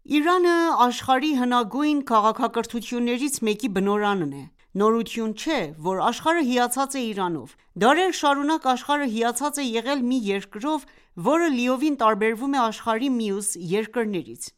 Իրանը աշխարհի հնագույն քաղաքակրթություններից մեկի բնօրանն է։ Նորություն չէ, որ աշխարհը հիացած է Իրանով։ Դարեր շարունակ աշխարհը հիացած է եղել մի երկրով, որը լիովին տարբերվում է աշխարհի մյուս երկրներից։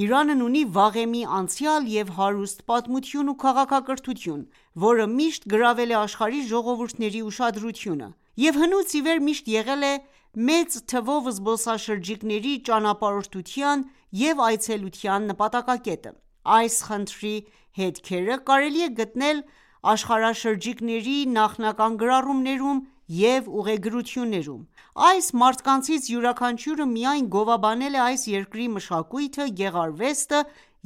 Իրանն ունի վաղեմի անցյալ և հարուստ պատմություն ու քաղաքակրթություն, որը միշտ գրավել է աշխարհի ժողովուրդների ուշադրությունը և հնուց ի վեր միշտ եղել է մեծ թվով զբոսաշրջիկների ճանապարհորդության և այցելության նպատակակետը։ Այս խնդրի հետքերը կարելի է գտնել աշխարհաշրջիկների նախնական գրառումներում և ուղեգրություններում։ Այս մարդկանցից յուրաքանչյուրը միայն գովաբանել է այս երկրի մշակույթը, գեղարվեստը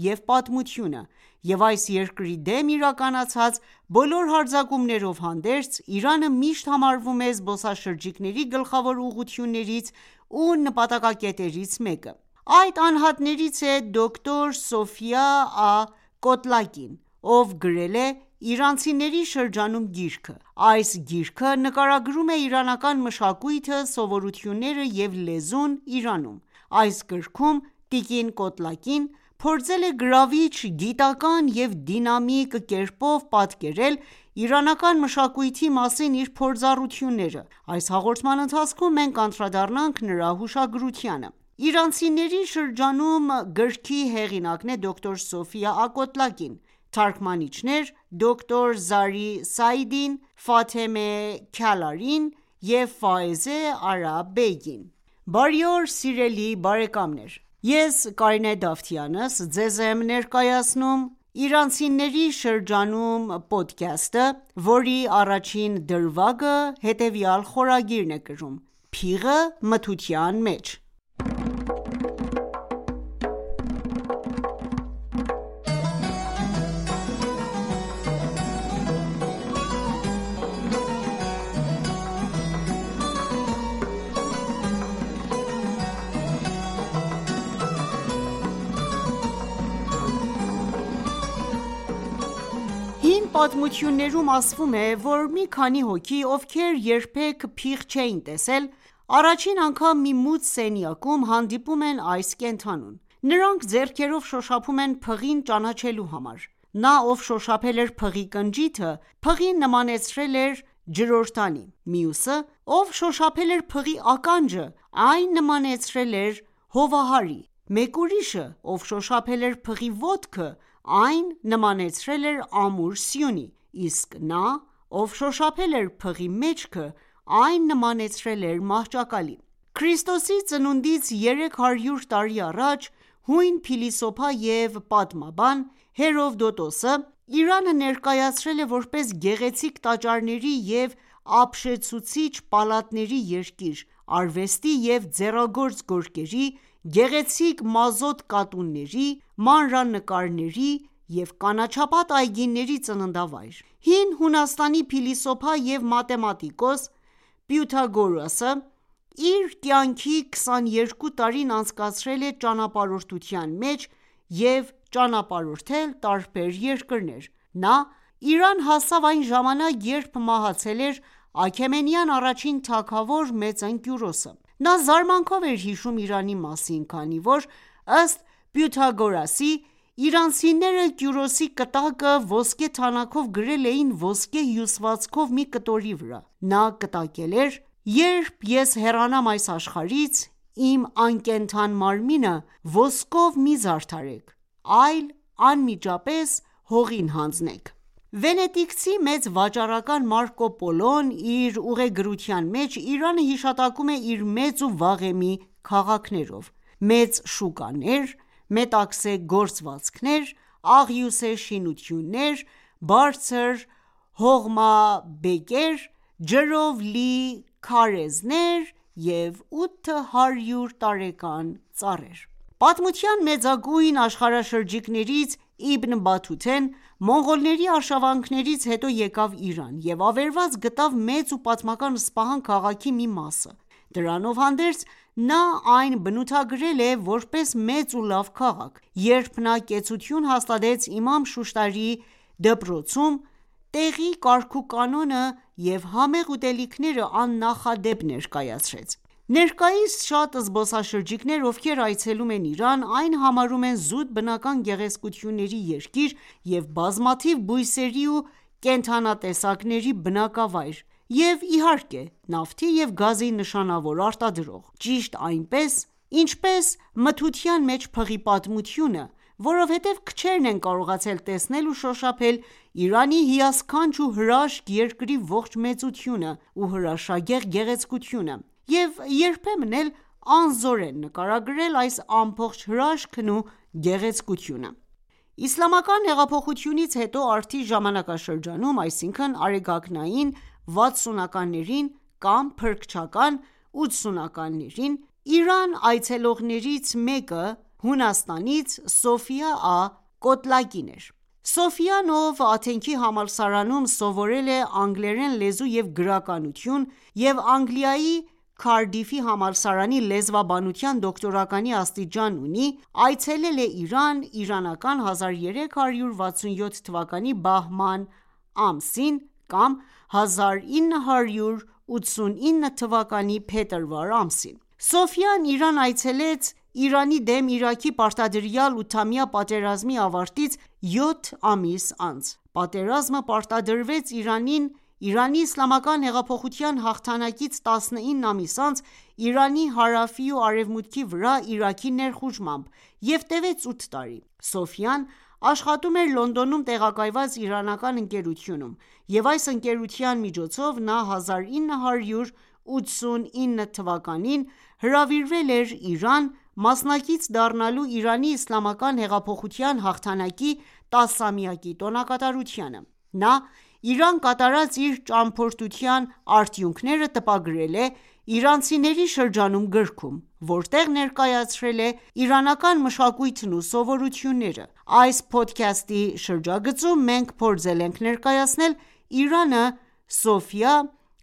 և պատմությունը, և այս երկրի դեմ իրականացած բոլոր հարձակումներով հանդերձ, Իրանը միշտ համարվում է զբոսաշրջիկների գլխավոր ուղղություններից ու նպատակակետերից մեկը։ Այդ անհատներից է դոկտոր Սոֆիա Ա.Կոտլակին, ով գրել է «Իրանցիների շրջանում» գիրքը։ Այս գիրքը նկարագրում է իրանական մշակույթը, սովորույթները և լեզուն Իրանում։ Այս գրքում տիկին Կոտլակին փորձել է գրավիչ, գիտական և դինամիկ կերպով պատկերել իրանական մշակույթի մասին իր փորձառությունները։ Այս հաղորդման ընթացքում մենք կանդրադառնանք նրա հուշագրությանը։ «Իրանցիների շրջանում» գրքի հեղինակն է դոկտոր Սոֆիա Ա.Կոտլակին, թարգմանիչներ՝ դոկտոր Զարի Սաիդին, Ֆաթեմե Քալարին և Ֆայեզե Արաբ Բեգին։ Բարի օր սիրելի բարեկամներ: Ես Կարինե Դավթյանս ձեզ եմ ներկայացնում «Իրանցիների շրջանում» փոդքասթը, որի առաջին դրվագը հետևյալ խորագիրն է կրում՝ «Փիղը մթության մեջ»։ Հին պատմություններում ասվում է, որ մի քանի հոգի, ովքեր երբեք փիղ չէին տեսել, առաջին անգամ մի մութ սենյակում հանդիպում են այս կենդանուն։ Նրանք ձեռքերով շոշափում են փղին ճանաչելու համար։ Նա, ով շոշափել էր փղի կնճիթը, փղին նմանեցրել էր ջրօրտանի։ Մյուսը, ով շոշափել էր փղի ականջը, այն նմանեցրել էր հովահարի։ Մեկ ուրիշը, ով շոշափել էր փղի ոտքը, այն նմանեցրել էր ամուր սյունի, իսկ նա, ով շոշափել էր փղի մեջքը, այն նմանեցրել էր մահճակալի։ Քրիստոսի ծնունդից 300 տարի առաջ հույն փիլիսոփա և պատմաբան Հերովդոտոսը Իրանը ներկայացրել է որպես գեղեցիկ տաճարների և ապշեցուցիչ պալատների երկիր, արվեստի և ձեռագործ գորգերի, գեղեցիկ մազոտ կատունների, մանրանկարների և կանաչապատ այգիների ծննդավայր։ Հին Հունաստանի փիլիսոփա և մաթեմատիկոս Պյութագորասը իր կյանքի 22 տարին անցկացրել է ճանապարհորդության մեջ և ճանապարհորդել տարբեր երկրներ։ Նա Իրան հասավ այն ժամանակ, երբ մահացել էր Աքեմենյան առաջին թագավոր Մեծն Կյուրոսը։ Նա զարմանքով էր հիշում Իրանի մասին, քանի որ, ըստ Պյութագորասի, իրանցիները Կյուրոսի կտակը ոսկե թանաքով գրել էին ոսկե հյուսվածքով մի կտորի վրա։ Նա կտակել էր.«Երբ ես հեռանամ այս աշխարհից, իմ անկենդան մարմինը ոսկով մի զարդարեք, այլ անմիջապես հողին հանձնեք»։ Վենետիկցի մեծ վաճառական Մարկո Պոլոն իր ուղեգրության մեջ Իրանը հիշատակում է իր մեծ ու վաղեմի քաղաքներով՝ մեծ շուկաներ, մետաքսե գործվածքներ, աղյուսե շինություններ, բարձր հողմաբեկեր, ջրով լի քարեզներ և 800 տարեկան ծառեր։ Պատմության մեծագույն աշխարհաշրջիկներից Իբն Բաթութեն մոնղոլների արշավանքներից հետո եկավ Իրան և ավերված գտավ մեծ ու պատմական Սպահան քաղաքի մի մասը։ Դրանով հանդերձ, նա այն բնութագրել է որպես մեծ ու լավ քաղաք։ Երբ նա կեցություն հաստատեց իմամ Շուշտարի դպրոցում, տեղի կարգուկանոնը և համեղ ուտելիքները աննախադեպ ներկայացրեց։ Ներկայիս շատ զբոսաշրջիկներ, ովքեր այցելում են Իրան, այն համարում են զուտ բնական գեղեցկությունների երկիր և բազմաթիվ բույսերի ու կենդանատեսակների բնակավայր և, իհարկե, նավթի և գազի նշանավոր արտադրող: Ճիշտ այնպես, ինչպես մթության մեջ փղի պատմությունը, որովհետև քչերն են կարողացել տեսնել ու շոշափել Իրանի հիասքանչ ու հրաշք երկրի ողջ մեծությունը ու հրաշագեղ գեղեցկությունը և երբեմն էլ անզոր են նկարագրել այս ամբողջ հրաշքն ու գեղեցկությունը: Իսլամական հեղափոխությունից հետո արդի ժամանակաշրջանում, այսինքն՝ արեգակնային 60-ականներին կամ փրկչական 80-ականներին, Իրան այցելողներից մեկը Հունաստանից Սոֆիա Ա.Կոտլակին էր: Սոֆիան, ով Աթենքի համալսարանում սովորել է անգլերեն լեզու և գրականություն և Անգլիայի Քարդիֆի համալսարանի լեզվաբանության դոկտորականի աստիճան ունի, այցելել է Իրան իրանական 1367 թվականի բահման ամսին կամ 1989 թվականի փետրվար ամսին: Սոֆիան Իրան այցելեց Իրանի դեմ Իրաքի պարտադրյալ 8-ամյա պատերազմի ավարտից 7 ամիս անց: Պատերազմը պարտադրվեց Իրանին Իրանի իսլամական հեղափոխության հաղթանակից 19 ամիս անց Իրանի հարավի ու արևմուտքի վրա Իրաքի ներխուժմամբ և տևեց 8 տարի: Սոֆիան աշխատում էր Լոնդոնում տեղակայված իրանական ընկերությունում և այս ընկերության միջոցով նա 1989 թվականին հրավիրվել էր Իրան մասնակից դառնալու Իրանի իսլամական հեղափոխության հաղթանակի 10-ամյակի տոնակատարությանը: Նա Իրան կատարած իր ճամփորդության արդյունքները տպագրել է «Իրանցիների շրջանում» գրքում, որտեղ ներկայացրել է իրանական մշակույթն ու սովորությունները: Այս փոդքասթի շրջագծում մենք փորձել ենք ներկայացնել Իրանը Սոֆիա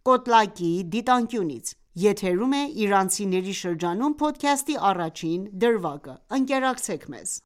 Կոտլակիի դիտանկյունից: Եթերում է «Իրանցիների շրջանում» փոդքասթի առաջին դրվագը: Ընկերակցեք մեզ: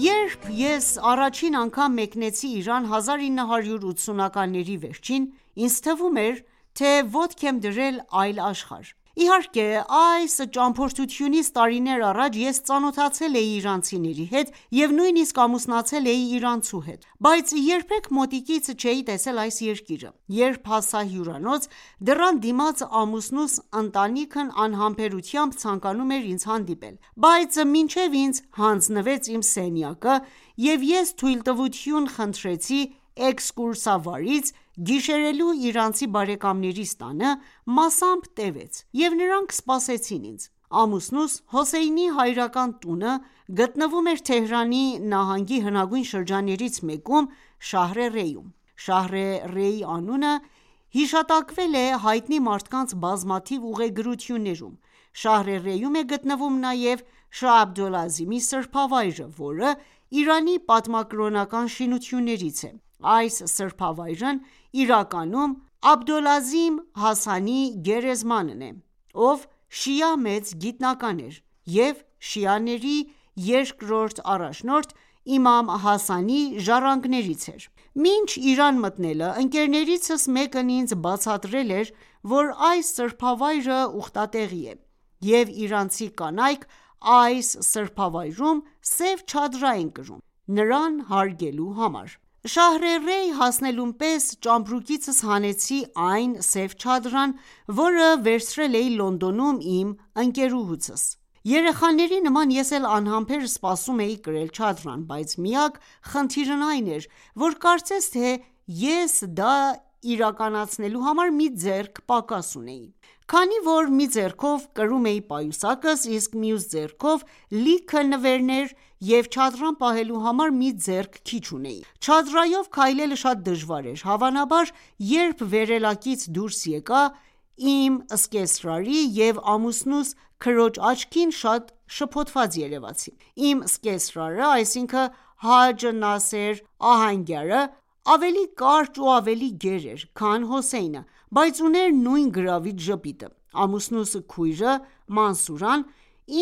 Երբ ես առաջին անգամ մեկնեցի Իրան 1980-ականների վերջին, ինձ թվում էր, թե ոտք եմ դրել այլ աշխարհ: Իհարկե, այս ճամփորդությունից տարիներ առաջ ես ծանոթացել էի իրանցիների հետ և նույնիսկ ամուսնացել էի իրանցու հետ, բայց երբեք մոտիկից չէի տեսել այս երկիրը: Երբ հասա հյուրանոց, դռան դիմաց ամուսնուս ընտանիքն անհամբերությամբ ցանկանում էր ինձ հանդիպել, բայց մինչև ինձ հանձնվեց իմ սենյակը և ես թույլտվություն խնդրեցի էքսկուրսավարից գիշերելու իրանցի բարեկամներիս տանը, մասամբ տևեց և նրանք սպասեցին ինձ: Ամուսնուս Հոսեյնի հայրական տունը գտնվում էր Թեհրանի նահանգի հնագույն շրջաններից մեկում Շահր-ե-Ռեյում: Շահր-ե-Ռեյ անունը հիշատակվել է հայտնի մարդկանց բազմաթիվ ուղեգրություններում: Շահր-ե-Ռեյում է գտնվում նաև Շահ Աբդոլ-Ազիմի սրբավայրը, որը Իրանի պատմակրոնական շինություններից է: Այս սրբավայրն իրականում Աբդոլ-Ազիմ Հասանի գերեզմանն է, ով շիա մեծ գիտնական էր և շիաների երկրորդ առաջնորդ իմամ Հասանի ժառանգներից էր: Մինչ Իրան մտնելը ընկերներիցս մեկն ինձ բացատրել էր, որ այս սրբավայրը ուխտատեղի է և իրանցի կանայք այս սրբավայրում սև չադրա են կրում, նրան հարգելու համար: Շահր-ե-Ռեյ հասնելուն պես ճամպրուկիցս հանեցի այն սև չադրան, որը վերցրել էի Լոնդոնում իմ ընկերուհուցս: Երեխաների նման ես էլ անհամբեր սպասում էի կրել չադրան, բայց միակ խնդիրն այն էր, որ կարծես թե ես դա իրականացնելու համար մի ձեռք պակաս ունեի: Քանի որ մի ձեռքով կրում էի պայուսակս, իսկ մյուս ձեռքով լիքը նվերներ և չադրան պահելու համար մի ձեռք քիչ ունեի: Չադրայով քայլելը շատ դժվար էր: Հավանաբար, երբ վերելակից դուրս եկա, իմ սկեսրարի և ամուսնուս քրոջ աչքին շատ շփոթված երևացին: Իմ սկեսրարը, այսինքն Հաջ Նասեր ահանգյարը, ավելի կարճ ու ավելի գեր էր, քան Հոսեյնը, բայց ուներ նույն գրավիչ ժպիտը: Ամուսնուս քույրը Մանսուրան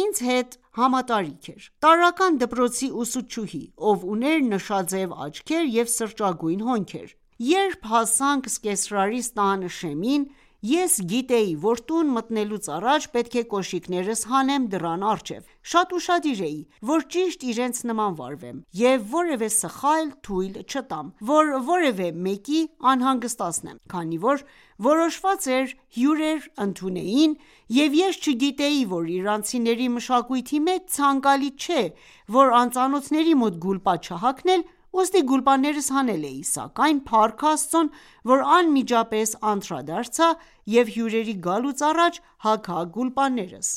ինձ հետ համատարիք էր: Տարրական դպրոցի ուսուցչուհի, ով ուներ նշաձև աչքեր և սրճագույն հոնքեր: Երբ հասանք սկեսրարիս տան շեմին, ես գիտեի, որ տուն մտնելուց առաջ պետք է կոշիկներս հանեմ դռան առջև: Շատ ուշադիր էի, որ ճիշտ իրենց նման վարվեմ և որևէ սխալ թույլ չտամ, որ որևէ մեկի անհանգստացնեմ, քանի որ որոշված էր հյուրեր ընդունեին, և ես չգիտեի, որ իրանցիների մշակույթի մեջ ցանկալի չէ, որ անծանոթների մոտ գուլպա չհագնել, ուստի գուլպաներս հանել էի, սակայն փառք Աստծուն, որ անմիջապես անդրադարձա և հյուրերի գալուց առաջ հագա գուլպաներս: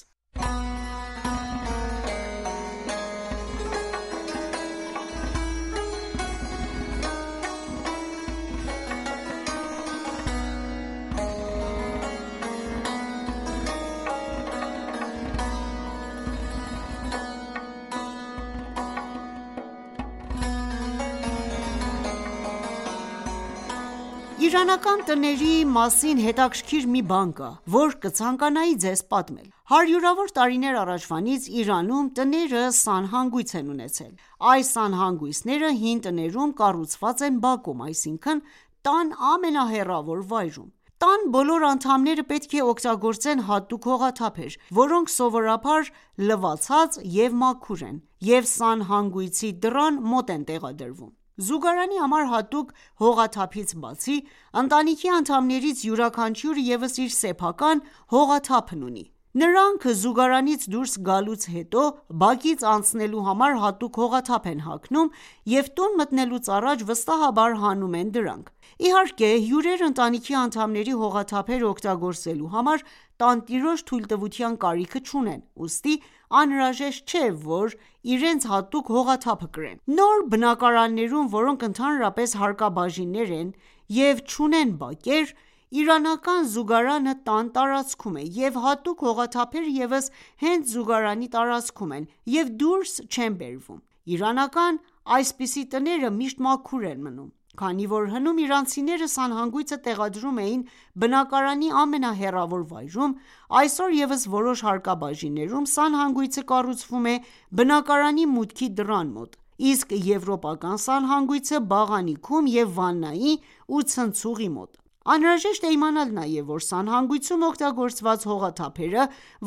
Իրանական տների մասին հետաքրքիր մի բան կա, որ կցանկանայի ձեզ պատմել: Հարյուրավոր տարիներ առաջվանից Իրանում տները սանհանգույց են ունեցել: Այս սանհանգույցները հին տներում կառուցված են բակում, այսինքն տան ամենահեռավոր վայրում: Տան բոլոր անդամները պետք է օգտագործեն հատուկ հողաթափեր, որոնք սովորաբար լվացած և մաքուր են և սանհանգույցի դռան մոտ են տեղադրվում: Զուգարանի համար հատուկ հողաթափից բացի, ընտանիքի անդամներից յուրաքանչյուրը ևս իր սեփական հողաթափն ունի: Նրանք զուգարանից դուրս գալուց հետո բակից անցնելու համար հատուկ հողաթափ են հագնում և տուն մտնելուց առաջ վստահաբար հանում են դրանք: Իհարկե հյուրերը ընտանիքի անդամների հողաթափերը օգտագործելու համար տանտիրոջ թույլտվության կարիքը չունեն, ուստի անհրաժեշտ չէ, որ իրենց հատուկ հողաթափը կրեն: Նոր բնակարաններում, որոնք ընդհանրապես հարկաբաժիններ են և չունեն բակեր, իրանական զուգարանը տան տարածքում է և հատուկ հողաթափերը ևս հենց զուգարանի տարածքում են և դուրս չեն բերվում: Իրանական այսպիսի տները միշտ մաքուր են մնում: Քանի որ հնում իրանցիները սանհանգույցը տեղադրում էին բնակարանի ամենահեռավոր վայրում, այսօր ևս որոշ հարկաբաժիններում սանհանգույցը կառուցվում է բնակարանի մուտքի դռան մոտ, իսկ եվրոպական սանհանգույցը բաղանիքում և վաննայի ու ցնցուղի մոտ: Անհրաժեշտ է իմանալ նաև, որ սանհանգույցում օգտագործված հողաթափերը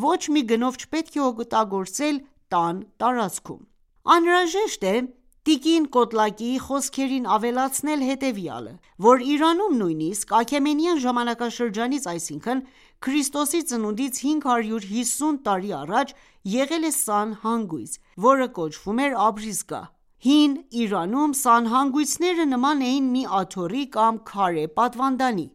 ոչ մի գնով չպետք է օգտագործել տան տարածքում: Անհրաժեշտ է տիկին Կոտլակիի խոսքերին ավելացնել հետևյալը, որ Իրանում նույնիսկ Աքեմենյան ժամանակաշրջանից, այսինքն ՔԾ 550 տարի առաջ եղել է սանհանգույց, որը կոչվում էր Աբրիզգահ: Հին Իրանում սանհանգույցները նման էին մի աթոռի կամ քարե պատվանդանի,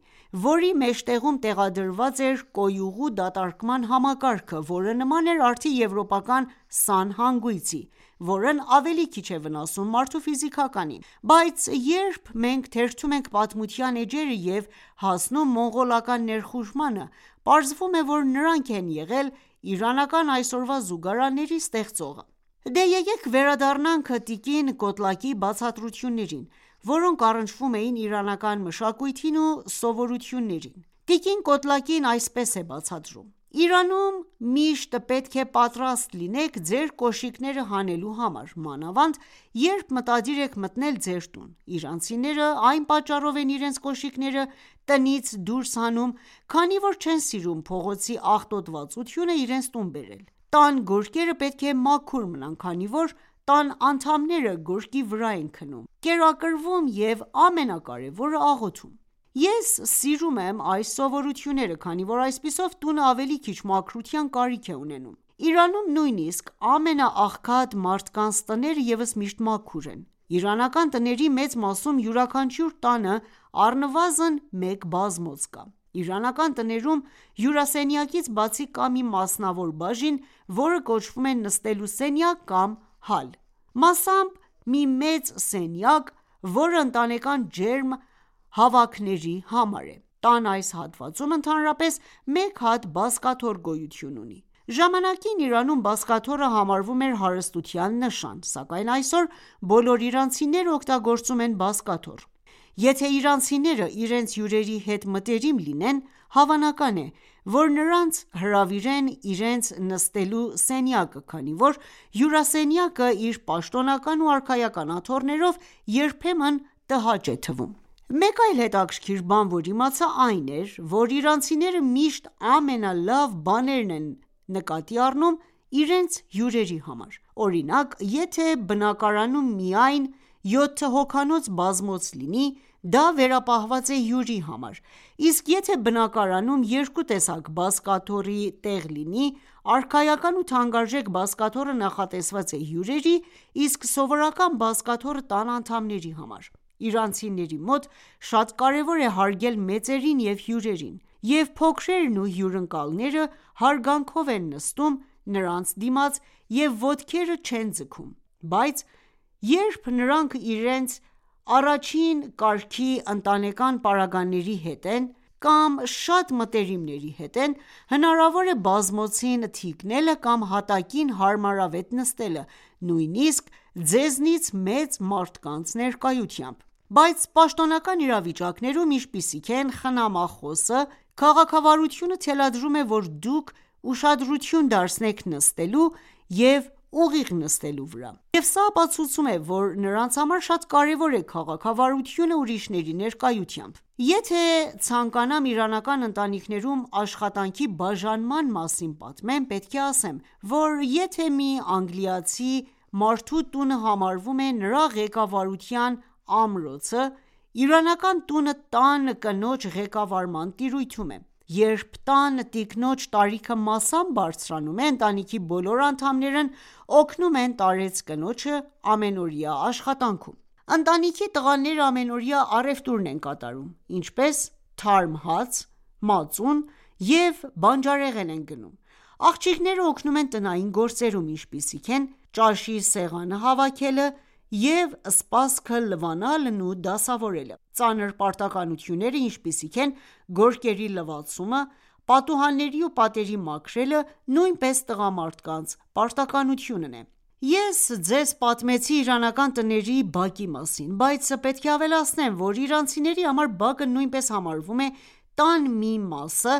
որի մեջտեղում տեղադրված էր կոյուղու դատարկման համակարգը, որը նման էր արդի եվրոպական սանհանգույցի, որն ավելի քիչ է վնասում մարդու ֆիզիկականին: Բայց երբ մենք թերթում ենք պատմության էջերը և հասնում մոնղոլական ներխուժմանը, պարզվում է, որ նրանք են եղել իրանական այսօրվա զուգարանների ստեղծողը: Դե եկեք վերադառնանք տիկին Կոտլակիի բացատրություններին, որոնք առնչվում էին իրանական մշակույթին ու սովորույթներին: Տիկին Կոտլակին այսպես է բացատրում. «Իրանում միշտ պետք է պատրաստ լինեք ձեր կոշիկները հանելու համար, մանավանդ երբ մտադիր եք մտնել ձեր տուն: Իրանցիները այն պատճառով են իրենց կոշիկները տնից դուրս հանում, քանի որ չեն սիրում փողոցի աղտոտվածությունը իրենց տուն բերել: Տան գորգերը պետք է մաքուր մնան, քանի որ տան անդամները գորգի վրա են քնում, կերակրվում և ամենակարևորը աղոթում: Ես սիրում եմ այս սովորույթները, քանի որ այսպիսով տունը ավելի քիչ մաքրության կարիք է ունենում: Իրանում նույնիսկ ամենաաղքատ մարդկանց տները ևս միշտ մաքուր են: Իրանական տների մեծ մասում յուրաքանչյուր տանը առնվազն մեկ բազմոց կա: Իրանական տներում հյուրասենյակից բացի կա մի մասնավոր բաժին, որը կոչվում է նստելու սենյակ կամ հալ: Մասամբ մի մեծ սենյակ, որը ընտանեկան ջերմ հավաքների համար է: Տան այս հատվածում ընդհանրապես մեկ հատ բազկաթոռ գոյություն ունի: Ժամանակին Իրանում բազկաթոռը համարվում էր հարստության նշան, սակայն այսօր բոլոր իրանցիները օգտագործում են բազկաթոռ: Եթե իրանցիները իրենց հյուրերի հետ մտերիմ լինեն, հավանական է, որ նրանց հրավիրեն իրենց նստելու սենյակը, քանի որ հյուրասենյակը իր պաշտոնական ու արքայական աթոռներով երբեմն տհաճ է թվում: Մեկ այլ հետաքրքիր բան, որ իմացա, այն էր, որ իրանցիները միշտ ամենալավ բաներն են նկատի առնում իրենց հյուրերի համար: Օրինակ, եթե բնակարանում միայն 7 հոգանոց բազմոց լինի, դա վերապահված է հյուրի համար, իսկ եթե բնակարանում երկու տեսակ բազկաթոռի տեղ լինի, արքայական ու թանկարժեք բազկաթոռը նախատեսված է հյուրերի, իսկ սովորական բազկաթոռը տան անդամների համար: Իրանցիների մոտ շատ կարևոր է հարգել մեծերին և հյուրերին, և փոքրերն ու հյուրընկալները հարգանքով են նստում նրանց դիմաց և ոտքերը չեն ձգում: Բայց երբ նրանք իրենց առաջին կարգի ընտանեկան պարագաների հետ են կամ շատ մտերիմների հետ են, հնարավոր է բազմոցին թիկնելը կամ հատակին հարմարավետ նստելը, նույնիսկ ձեզնից մեծ մարդկանց ներկայությամբ: Բայց պաշտոնական իրավիճակներում, ինչպիսիք են խնամախոսը, քաղաքավարությունը թելադրում է, որ դուք ուշադրություն դարձնեք նստելու և ուղիղ նստելու վրա: Եվ սա ապացուցում է, որ նրանց համար շատ կարևոր է քաղաքավարությունը ուրիշների ներկայությամբ: Եթե ցանկանամ իրանական ընտանիքներում աշխատանքի բաժանման մասին պատմեմ, պետք է ասեմ, որ եթե մի անգլիացի մարդու տունը համարվում է նրա ղեկավարության ամրոցը, իրանական տունը տան կնոջ ղեկավարման տիրույթում է: Երբ տան տիկնոջ տարիքը մասամբ բարձրանում է, ընտանիքի բոլոր անդամներն օգնում են տարեց կնոջը ամենօրյա աշխատանքում: Ընտանիքի տղաները ամենօրյա առևտուրն են կատարում, ինչպես թարմ հաց, մածուն և բանջարեղեն են գնում: Աղջիկները օգնում են տնային գործերում, ինչպիսիք են ճաշի սեղանը հավաքելը և սպասքը լվանալն ու դասավորելը: Ծանր պարտականությունները, ինչպիսիք են գորգերի լվացումը, պատուհանների ու պատերի մաքրելը, նույնպես տղամարդկանց պարտականությունն է: Ես ձեզ պատմեցի իրանական տների բակի մասին, բայց պետք է ավելացնեմ, որ իրանցիների համար բակը նույնպես համարվում է տան մի մասը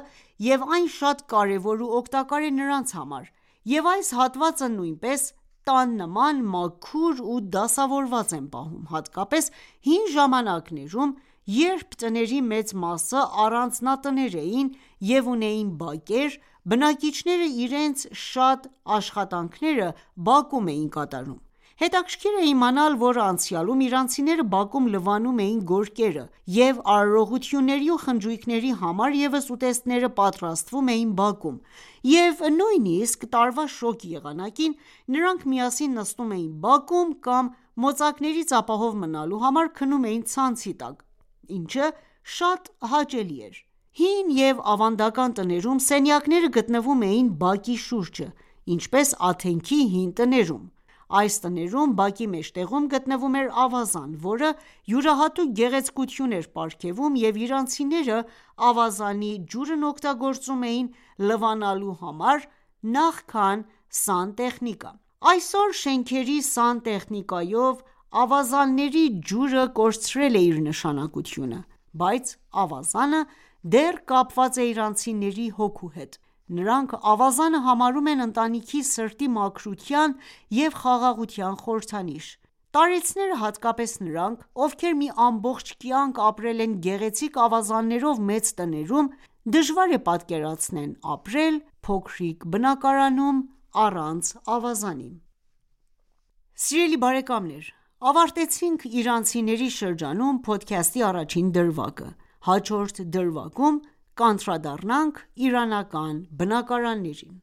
և այն շատ կարևոր ու օգտակար է նրանց համար և այս հատվածը նույնպես տան նման մաքուր ու դասավորված են պահում, հատկապես հին ժամանակներում, երբ տների մեծ մասը առանձնատներ էին և ունեին բակեր, բնակիչները իրենց շատ աշխատանքները բակում էին կատարում: Հետաքրքիր է իմանալ, որ անցյալում իրանցիները բակում լվանում էին գորգերը և արարողությունների ու խնջույքների համար ևս ուտեստները պատրաստվում էին բակում և նույնիսկ տարվա շոգ եղանակին նրանք միասին նստում էին բակում կամ մոծակներից ապահով մնալու համար քնում էին ցանցի տակ, ինչը շատ հաճելի էր: Հին և ավանդական տներում սենյակները գտնվում էին բակի շուրջը, ինչպես Աթենքի հին տներում: Այս տներում բակի մեջտեղում գտնվում էր ավազան, որը յուրահատուկ գեղեցկություն էր պարգևում և իրանցիները ավազանի ջուրն օգտագործում էին լվանալու համար նախքան սանտեխնիկա: Այսօր շենքերի սանտեխնիկայով ավազանների ջուրը կորցրել է իր նշանակությունը, բայց ավազանը դեռ կապված է իրանցիների հոգու հետ: Նրանք ավազանը համարում են ընտանիքի սրտի մաքրության և խաղաղության խորհրդանիշ: Տարեցները, հատկապես նրանք, ովքեր մի ամբողջ կյանք ապրել են գեղեցիկ ավազաններով մեծ տներում, դժվար է պատկերացնեն ապրել փոքրիկ բնակարանում առանց ավազանի: Սիրելի բարեկամներ ավարտեցինք իրանցիների շրջանում փոդքասթի առաջին դրվագը: Հաջորդ դրվագում կանդրադառնանք իրանական բնակարաններին: